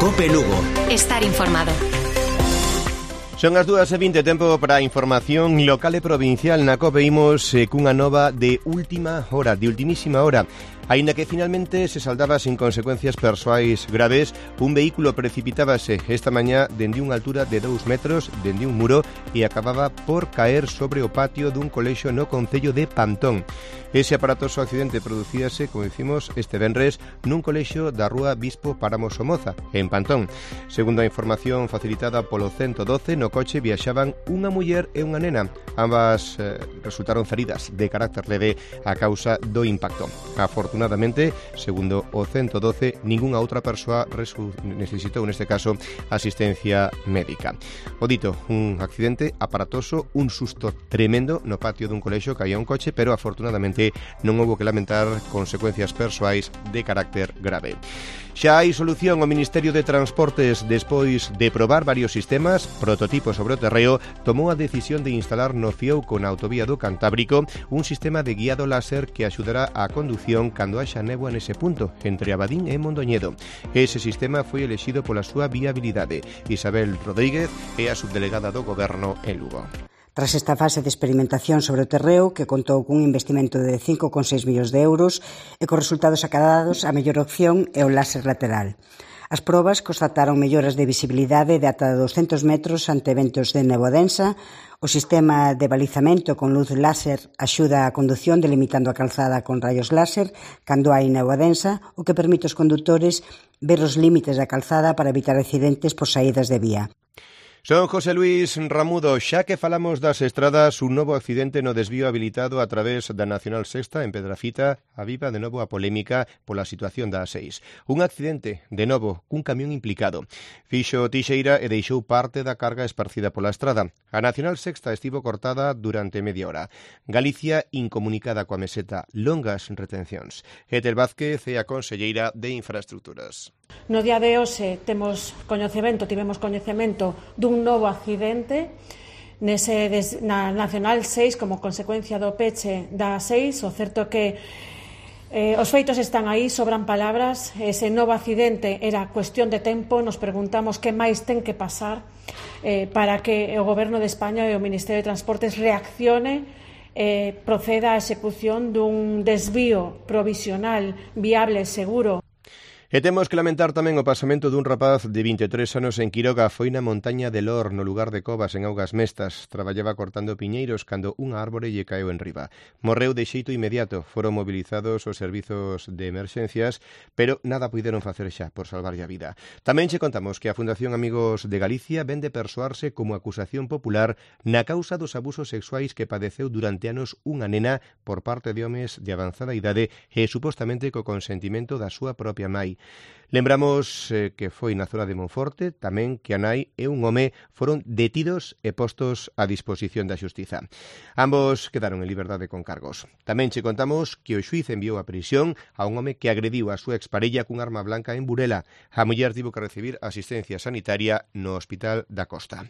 COPE Lugo. Estar informado. Son as 2:20, tempo para a información local e provincial. Na COPE imos cunha nova de última hora, de ultimísima hora. Aínda que finalmente se saldaba sin consecuencias persoais graves, un vehículo precipitábase esta mañá dende unha altura de 2 metros dende un muro e acababa por caer sobre o patio dun colexio no concello de Pantón. Ese aparatoso accidente producíase, como dicimos, este venres nun colexio da rúa Bispo Páramo Somoza, en Pantón. Segundo a información facilitada polo 112, no coche viaxaban unha muller e unha nena. Ambas resultaron feridas de carácter leve a causa do impacto. Afortunadamente, segundo o 112, ningunha outra persoa necesitou, neste caso, asistencia médica. O dito, un accidente aparatoso, un susto tremendo no patio dun colexio, caía un coche, pero afortunadamente non houbo que lamentar consecuencias persoais de carácter grave. Xa hai solución. O Ministerio de Transportes, despois de probar varios sistemas, prototipos sobre o terreo, tomou a decisión de instalar no Fiouco, na autovía do Cantábrico, un sistema de guiado láser que axudará á condución cando haxa néboa nese punto, entre Abadín e Mondoñedo. Ese sistema foi elexido pola súa viabilidade. Isabel Rodríguez é a subdelegada do Goberno en Lugo. Tras esta fase de experimentación sobre o terreo, que contou cun investimento de 5,6 millóns de euros e cos resultados acadados, a mellor opción é o láser lateral. As probas constataron melloras de visibilidade de ata 200 metros ante eventos de néboa densa. O sistema de balizamento con luz láser axuda a condución delimitando a calzada con rayos láser cando hai néboa densa, o que permite aos condutores ver os límites da calzada para evitar accidentes por saídas de vía. Son José Luis Ramudo. Xa que falamos das estradas, un novo accidente no desvío habilitado a través da Nacional Sexta en Pedrafita aviva de novo a polémica pola situación da A6. Un accidente, de novo, cun camión implicado. Fixo tixeira e deixou parte da carga esparcida pola estrada. A Nacional Sexta estivo cortada durante media hora. Galicia incomunicada coa meseta, longas retencións. Etel Vázquez é a conselleira de Infraestructuras. No día de hoxe tivemos coñecemento dun novo accidente na Nacional 6 como consecuencia do peche da A6. O certo que os feitos están aí, sobran palabras. Ese novo accidente era cuestión de tempo. Nos preguntamos que máis ten que pasar para que o Goberno de España e o Ministerio de Transportes reaccione e proceda á execución dun desvío provisional, viable, seguro. E temos que lamentar tamén o pasamento dun rapaz de 23 anos en Quiroga. Foi na montaña de Lor, no lugar de Covas, en Augas Mestas. Traballaba cortando piñeiros cando unha árbore lle caeu enriba. Morreu de xeito inmediato. Foron mobilizados os servizos de emerxencias, pero nada puideron facer xa por salvarlle a vida. Tamén che contamos que a Fundación Amigos de Galicia vende persoarse como acusación popular na causa dos abusos sexuais que padeceu durante anos unha nena por parte de homes de avanzada idade e supostamente co consentimento da súa propia nai. Lembramos que foi na zona de Monforte, tamén que a nai e un home foron detidos e postos a disposición da xustiza. Ambos quedaron en liberdade con cargos. Tamén che contamos que o xuíz enviou a prisión a un home que agrediu a súa exparella cun arma blanca en Burela. A muller tivo que recibir asistencia sanitaria no Hospital da Costa.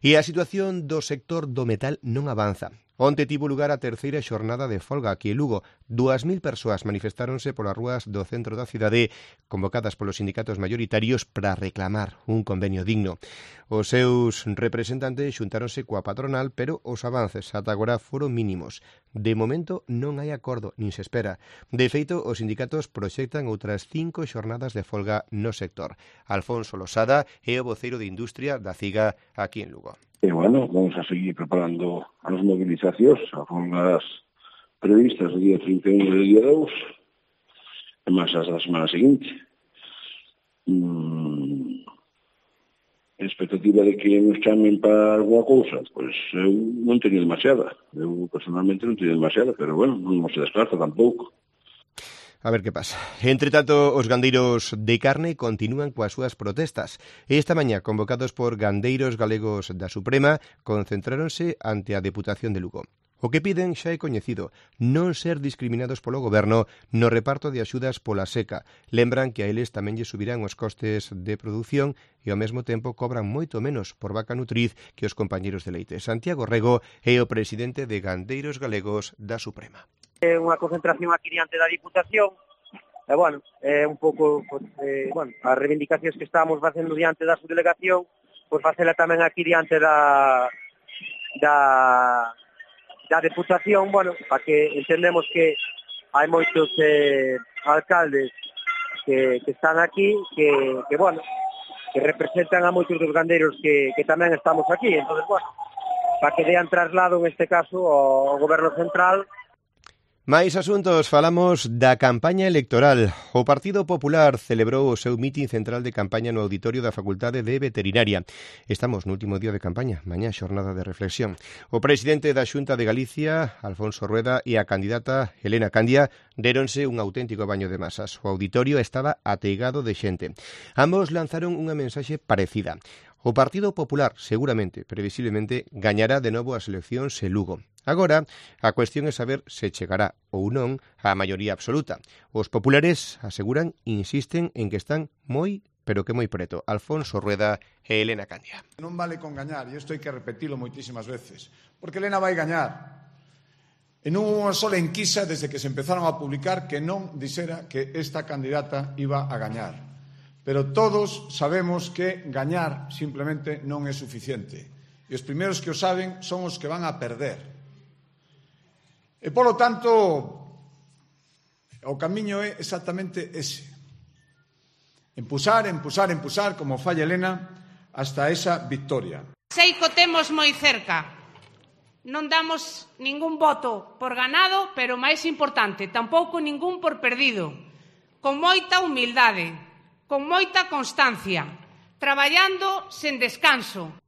E a situación do sector do metal non avanza. Onte tivo lugar a terceira xornada de folga aquí en Lugo. 2.000 persoas manifestáronse polas rúas do centro da cidade, convocadas polos sindicatos maioritarios para reclamar un convenio digno. Os seus representantes xuntáronse coa patronal, pero os avances ata agora foron mínimos. De momento non hai acordo, nin se espera. De feito, os sindicatos proxectan outras 5 xornadas de folga no sector. Alfonso Losada é o voceiro de Industria da CIGA aquí en Lugo. E, bueno, vamos a seguir preparando as movilizacións, as folgas previstas o día 31 e o día 2, e máis as da semana seguinte. A expectativa de que nos chamen para alguna cousa, pois eu non teño demasiada. Eu personalmente non teño demasiada, pero, bueno, non se descarta tampouco. A ver que pasa. Entre tanto, os gandeiros de carne continúan coas súas protestas. Esta mañá, convocados por gandeiros galegos da Suprema, concentráronse ante a Deputación de Lugo. O que piden xa é coñecido, non ser discriminados polo Goberno no reparto de axudas pola seca. Lembran que a eles tamén lle subirán os costes de produción e ao mesmo tempo cobran moito menos por vaca nutriz que os compañeros de leite. Santiago Rego é o presidente de Gandeiros Galegos da Suprema. Unha concentración aquí diante da Diputación E, bueno, é un pouco, as reivindicacións que estamos facendo diante da subdelegación, pois facela tamén aquí diante da Deputación, bueno, para que entendemos que hai moitos alcaldes que están aquí, que representan a moitos dos gandeiros que tamén estamos aquí. Entonces, bueno, para que dean traslado, en este caso, ao Goberno Central. Máis asuntos, falamos da campaña electoral. O Partido Popular celebrou o seu mitin central de campaña no auditorio da Facultade de Veterinaria. Estamos no último día de campaña, mañá xornada de reflexión. O presidente da Xunta de Galicia, Alfonso Rueda, e a candidata Elena Candia déronse un auténtico baño de masas. O auditorio estaba ateigado de xente. Ambos lanzaron unha mensaxe parecida. O Partido Popular, seguramente, previsiblemente, gañará de novo as eleccións en Lugo. Agora, a cuestión é saber se chegará ou non a maioría absoluta. Os populares aseguran, insisten en que están moi, pero que moi preto. Alfonso Rueda e Elena Candia. Non vale con gañar, e isto hai que repetilo moitísimas veces, porque Elena vai gañar. E non unha sola enquisa desde que se empezaron a publicar que non dixera que esta candidata iba a gañar. Pero todos sabemos que gañar simplemente non é suficiente. E os primeiros que o saben son os que van a perder. E, polo tanto, o camiño é exactamente ese. Empusar, como falla Elena, hasta esa victoria. Sei que o temos moi cerca. Non damos ningún voto por ganado, pero máis importante, tampouco ningún por perdido. Con moita humildade, con moita constancia, traballando sen descanso.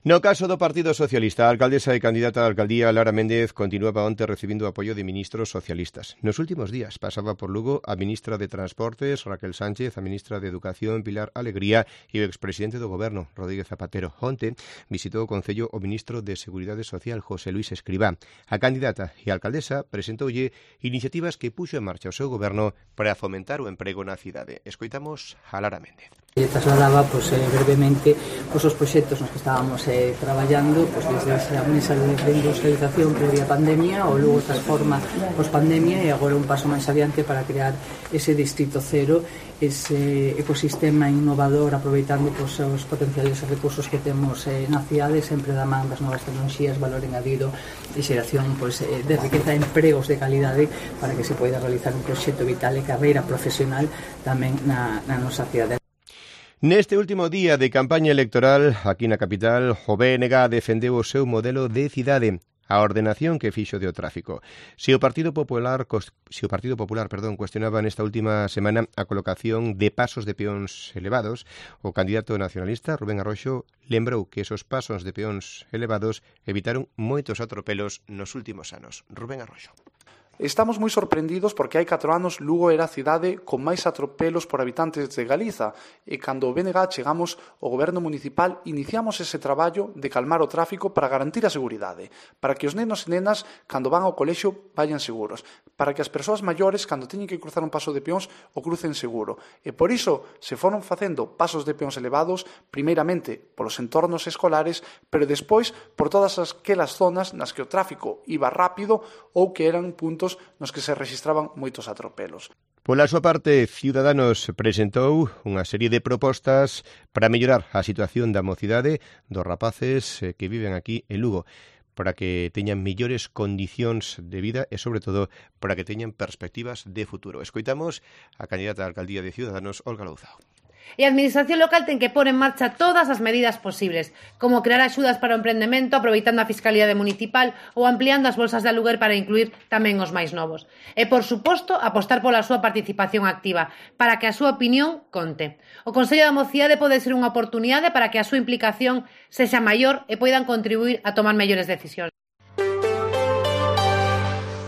No caso do Partido Socialista, a alcaldesa e candidata á alcaldía Lara Méndez continuaba onte recibindo apoio de ministros socialistas. Nos últimos días pasaba por Lugo a ministra de Transportes, Raquel Sánchez, a ministra de Educación, Pilar Alegría, e o expresidente do Goberno, Rodríguez Zapatero. Onte visitou o Concello o ministro de Seguridade Social, José Luís Escribá. A candidata e a alcaldesa presentoulle iniciativas que puxo en marcha o seu goberno para fomentar o emprego na cidade. Escoitamos a Lara Méndez. Trasladaba brevemente os proxectos nos que estábamos traballando desde esa mesa de industrialización previa pandemia, o luego transforma post-pandemia e agora un paso máis adiante para crear ese distrito cero, ese ecosistema innovador aproveitando os potenciales recursos que temos na cidade, sempre da man das novas tecnoloxías, valor engadido e xeración de riqueza, empregos de calidade para que se poida realizar un proxecto vital e carreira profesional tamén na nosa cidade. Neste último día de campaña electoral, aquí na capital, o BNG defendeu o seu modelo de cidade, a ordenación que fixo de o tráfico. Se o Partido Popular cuestionaba nesta última semana a colocación de pasos de peóns elevados, o candidato nacionalista, Rubén Arroxo, lembrou que esos pasos de peóns elevados evitaron moitos atropelos nos últimos anos. Rubén Arroxo. Estamos moi sorprendidos porque hai 4 anos Lugo era a cidade con máis atropelos por habitantes de Galiza e cando o BNG chegamos ao goberno municipal iniciamos ese traballo de calmar o tráfico para garantir a seguridade, para que os nenos e nenas cando van ao colexio vayan seguros, para que as persoas maiores cando teñen que cruzar un paso de peóns o crucen seguro. E por iso se foron facendo pasos de peóns elevados primeiramente polos entornos escolares, pero despois por todas aquelas zonas nas que o tráfico iba rápido ou que eran puntos nos que se rexistraban moitos atropelos. Pola súa parte, Ciudadanos presentou unha serie de propostas para mellorar a situación da mocidade dos rapaces que viven aquí en Lugo, para que teñan mellores condicións de vida e, sobre todo, para que teñan perspectivas de futuro. Escoitamos a candidata á alcaldía de Ciudadanos, Olga Louzao. E a Administración local ten que pôr en marcha todas as medidas posibles, como crear axudas para o emprendemento aproveitando a fiscalidade municipal ou ampliando as bolsas de aluguer para incluir tamén os máis novos. E, por suposto, apostar pola súa participación activa, para que a súa opinión conte. O Consello da Mocidade pode ser unha oportunidade para que a súa implicación sexa maior e poidan contribuir a tomar mellores decisións.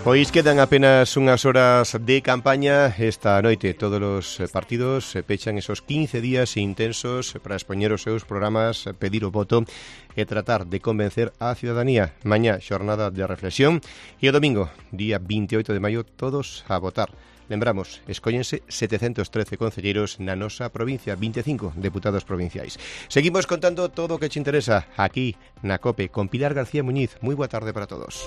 Pois quedan apenas unhas horas de campaña esta noite. Todos os partidos pechan esos 15 días intensos para expoñer os seus programas, pedir o voto e tratar de convencer á ciudadanía. Mañá, xornada de reflexión e o domingo, día 28 de maio, todos a votar. Lembramos, escóllense 713 concelleiros na nosa provincia, 25 deputados provinciais. Seguimos contando todo o que te interesa aquí na COPE con Pilar García Muñiz. Moi boa tarde para todos.